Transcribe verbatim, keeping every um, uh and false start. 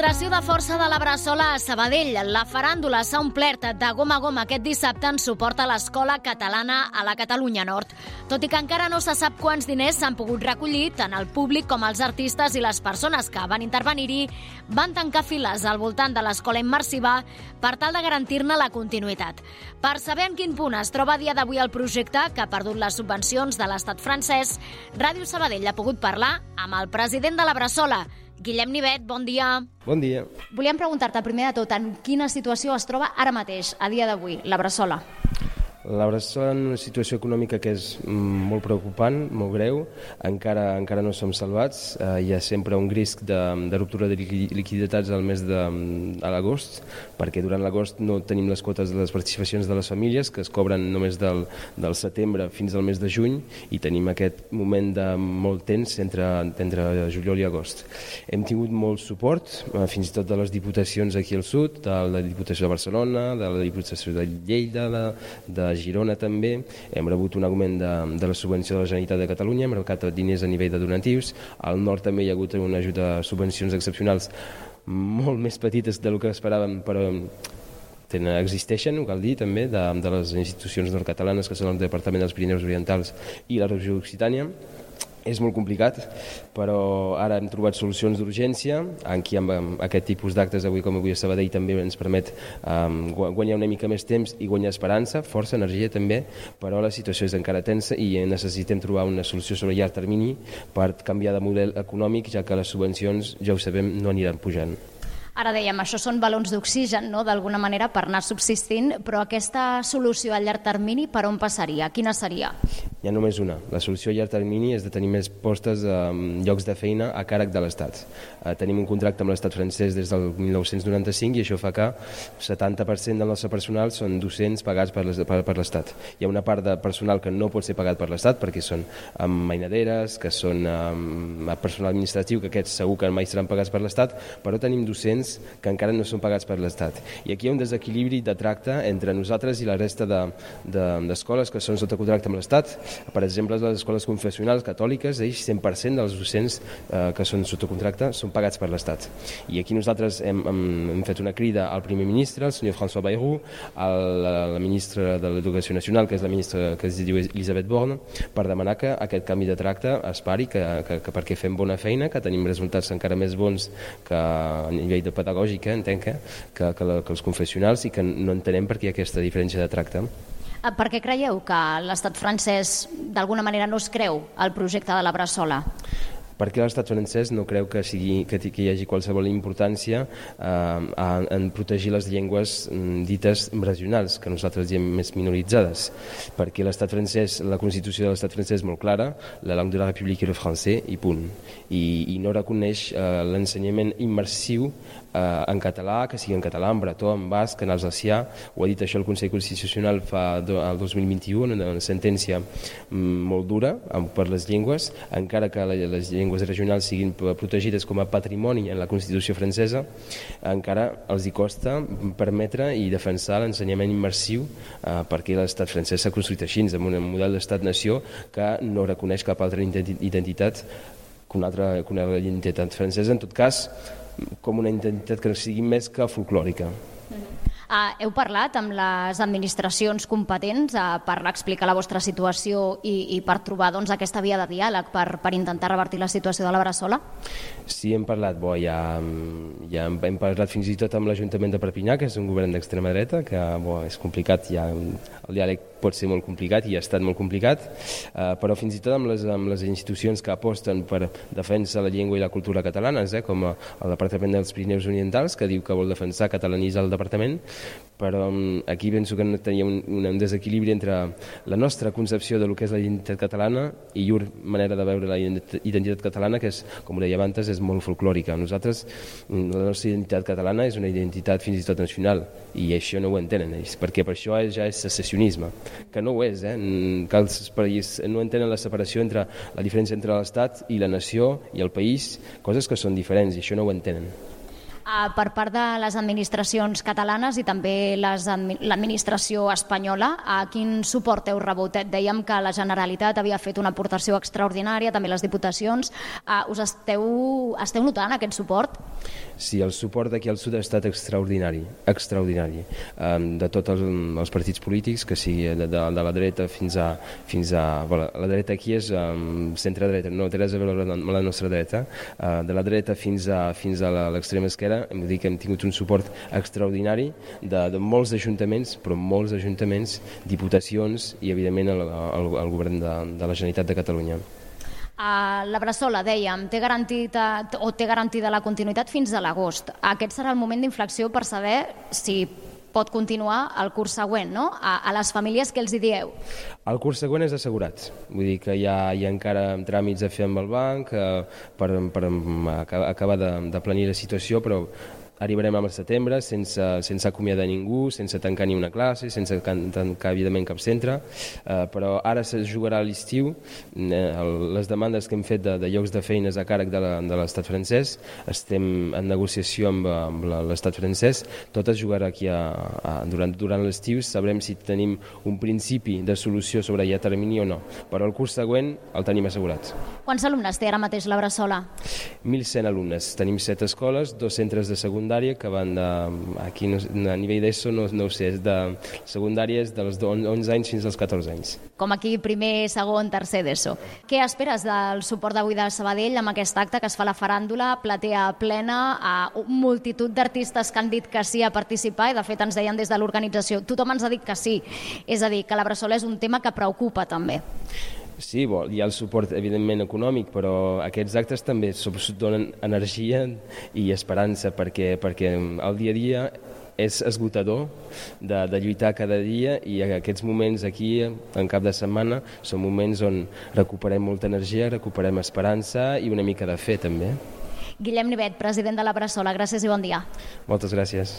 Demostració de força de la Bressola a Sabadell. La faràndula s'ha omplert de gom a gom aquest dissabte en suport a l'Escola Catalana a la Catalunya Nord. Tot i que encara no se sap quants diners s'han pogut recollir, tant el públic com els artistes i les persones que van intervenir-hi van tancar files al voltant de l'escola immersiva per tal de garantir-ne la continuïtat. Per saber en quin punt es troba a dia d'avui el projecte, que ha perdut les subvencions de l'estat francès, Ràdio Sabadell ha pogut parlar amb el president de la Bressola, Guillem Nivet. Bon dia. Bon dia. Volíem preguntar-te primer de tot en quina situació es troba ara mateix, a dia d'avui, la Bressola. La Bressola en una situació econòmica que és molt preocupant, molt greu, encara encara no som salvats, eh, hi ha sempre un risc de, de ruptura de liquiditats al mes de a l'agost, perquè durant l'agost no tenim les quotes de les participacions de les famílies, que es cobren només del, del setembre fins al mes de juny, i tenim aquest moment de molt tens entre, entre juliol i agost. Hem tingut molt suport, eh, fins i tot de les diputacions aquí al sud, de la Diputació de Barcelona, de la Diputació de Lleida, de, de Girona també. Hem rebut un augment de, de la subvenció de la Generalitat de Catalunya, hem rebut diners a nivell de donatius. Al nord també hi ha hagut una ajuda de subvencions excepcionals molt més petites del que esperàvem, però tenen, existeixen, ho cal dir també, de, de les institucions nord-catalanes, que són el Departament dels Pirineus Orientals i la Regió Occitània. És molt complicat, però ara hem trobat solucions d'urgència. Aquí amb aquest tipus d'actes avui com avui a Sabadell també ens permet um, guanyar una mica més temps i guanyar esperança, força, energia també, però la situació és encara tensa i necessitem trobar una solució sobre llarg termini per canviar de model econòmic, ja que les subvencions, ja ho sabem, no aniran pujant. Ara dèiem, això són balons d'oxigen, no?, d'alguna manera, per anar subsistint, però aquesta solució a llarg termini per on passaria? Quina seria? Hi ha només una. La solució a llarg termini és de tenir més postes, eh, llocs de feina a càrrec de l'Estat. Eh, tenim un contracte amb l'Estat francès des del mil nou-cents noranta-cinc i això fa que el setanta per cent del nostre personal són docents pagats per l'Estat. Hi ha una part de personal que no pot ser pagat per l'Estat perquè són um, mainaderes, que són um, personal administratiu, que aquests segur que mai seran pagats per l'Estat, però tenim docents que encara no són pagats per l'Estat. I aquí hi ha un desequilibri de tracte entre nosaltres i la resta d'escoles de, de, que són sota contracte amb l'Estat. Per exemple, les escoles confessionals catòliques, ells cent per cent dels docents eh, que són sota contracte són pagats per l'Estat. I aquí nosaltres hem, hem, hem fet una crida al primer ministre, el senyor François Bayrou, a la, la ministra de l'Educació Nacional, que és la ministra que es diu Elisabeth Borne, per demanar que aquest canvi de tracte es pari, que, que, que perquè fem bona feina, que tenim resultats encara més bons que a nivell de pedagògica, entenc que, que, que, la, que els confessionals, i que no entenem per què hi ha aquesta diferència de tracte. Per què creieu que l'estat francès d'alguna manera no es creu el projecte de la Bressola? Perquè l'estat francès no creu que, sigui, que, que hi hagi qualsevol importància eh, en protegir les llengües dites regionals, que nosaltres diem més minoritzades. Perquè l'estat francès, la Constitució de l'estat francès és molt clara, la langue de la République est le français, i punt. I, i no reconeix eh, l'ensenyament immersiu eh, en català, que sigui en català, en bretó, en basc, en alsacià. Ho ha dit això el Consell Constitucional fa do, el dos mil vint-i-u, una, una sentència mm, molt dura per les llengües, encara que la, les llengües regionals siguin protegides com a patrimoni en la Constitució francesa, encara els hi costa permetre i defensar l'ensenyament immersiu eh, perquè l'estat francès s'ha construït així, amb un model d'estat-nació que no reconeix cap altra identitat que una altra, que una altra identitat francesa, en tot cas com una identitat que sigui més que folclòrica. Uh, heu parlat amb les administracions competents uh, per explicar la vostra situació i, i per trobar doncs, aquesta via de diàleg per, per intentar revertir la situació de la Bressola? Sí, hem parlat, bo, ja, ja hem parlat fins i tot amb l'Ajuntament de Perpinyà, que és un govern d'extrema dreta, que bo, és complicat, ja, el diàleg pot ser molt complicat i ha estat molt complicat, uh, però fins i tot amb les, amb les institucions que aposten per defensar la llengua i la cultura catalanes, eh, com el Departament dels Pirineus Orientals, que diu que vol defensar, catalanitzar el departament, però aquí penso que tenia un, un desequilibri entre la nostra concepció de lo que és la identitat catalana i llur manera de veure la identitat catalana, que és, com ho deia abans, és molt folclòrica. Nosaltres, la nostra identitat catalana és una identitat fins i tot nacional, i això no ho entenen ells, perquè per això ja és secessionisme, que no ho és, eh? Que els països no entenen la separació entre la diferència entre l'Estat i la nació i el país, coses que són diferents, i això no ho entenen. Uh, per part de les administracions catalanes i també l'administració espanyola, uh, quin suport heu rebut? Dèiem que la Generalitat havia fet una aportació extraordinària, també les diputacions. Uh, us esteu, esteu notant aquest suport? Sí, el suport d'aquí al sud ha estat extraordinari, extraordinari, um, de tots els, els partits polítics, que sigui de, de, de la dreta fins a... Fins a bueno, la dreta aquí és um, centre-dreta, no té res a veure amb la nostra dreta, uh, de la dreta fins a, fins a l'extrema esquerra, hem de dir que hem tingut un suport extraordinari de, de molts ajuntaments, però molts ajuntaments, diputacions i, evidentment, el, el, el govern de, de la Generalitat de Catalunya. Uh, la Bressola, dèiem, té garantida, o té garantida la continuïtat fins a l'agost. Aquest serà el moment d'inflexió per saber si pot continuar el curs següent, no? A, a les famílies que els hi dieu? El curs següent és assegurat, vull dir que hi ha, hi ha encara tràmits a fer amb el banc eh, per, per acabar de, de planir la situació, però arribarem al setembre sense, sense acomiadar ningú, sense tancar ni una classe, sense tancar, evidentment, cap centre, eh, però ara se jugarà a l'estiu. Eh, les demandes que hem fet de, de llocs de feines a càrrec de l'estat francès, estem en negociació amb, amb l'estat francès, tot es jugarà aquí a, a, durant, durant l'estiu, sabrem si tenim un principi de solució sobre ja termini o no, però el curs següent el tenim assegurat. Quants alumnes té ara mateix la Bressola? mil cent alumnes, tenim set escoles, dos centres de secundària que van de, aquí no, a nivell d'ESO no, no ho sé, és de secundària és dels onze anys fins als catorze anys. Com aquí primer, segon, tercer d'ESO. Què esperes del suport d'avui de Sabadell amb aquest acte que es fa la faràndula, platea plena, a multitud d'artistes que han dit que sí a participar i de fet ens deien des de l'organització, tothom ens ha dit que sí, és a dir, que la Bressola és un tema que preocupa també. Sí, bo, hi ha el suport, evidentment, econòmic, però aquests actes també donen energia i esperança, perquè, perquè el dia a dia és esgotador de, de lluitar cada dia i aquests moments aquí, en cap de setmana, són moments on recuperem molta energia, recuperem esperança i una mica de fe, també. Guillem Nivet, president de la Bressola, gràcies i bon dia. Moltes gràcies.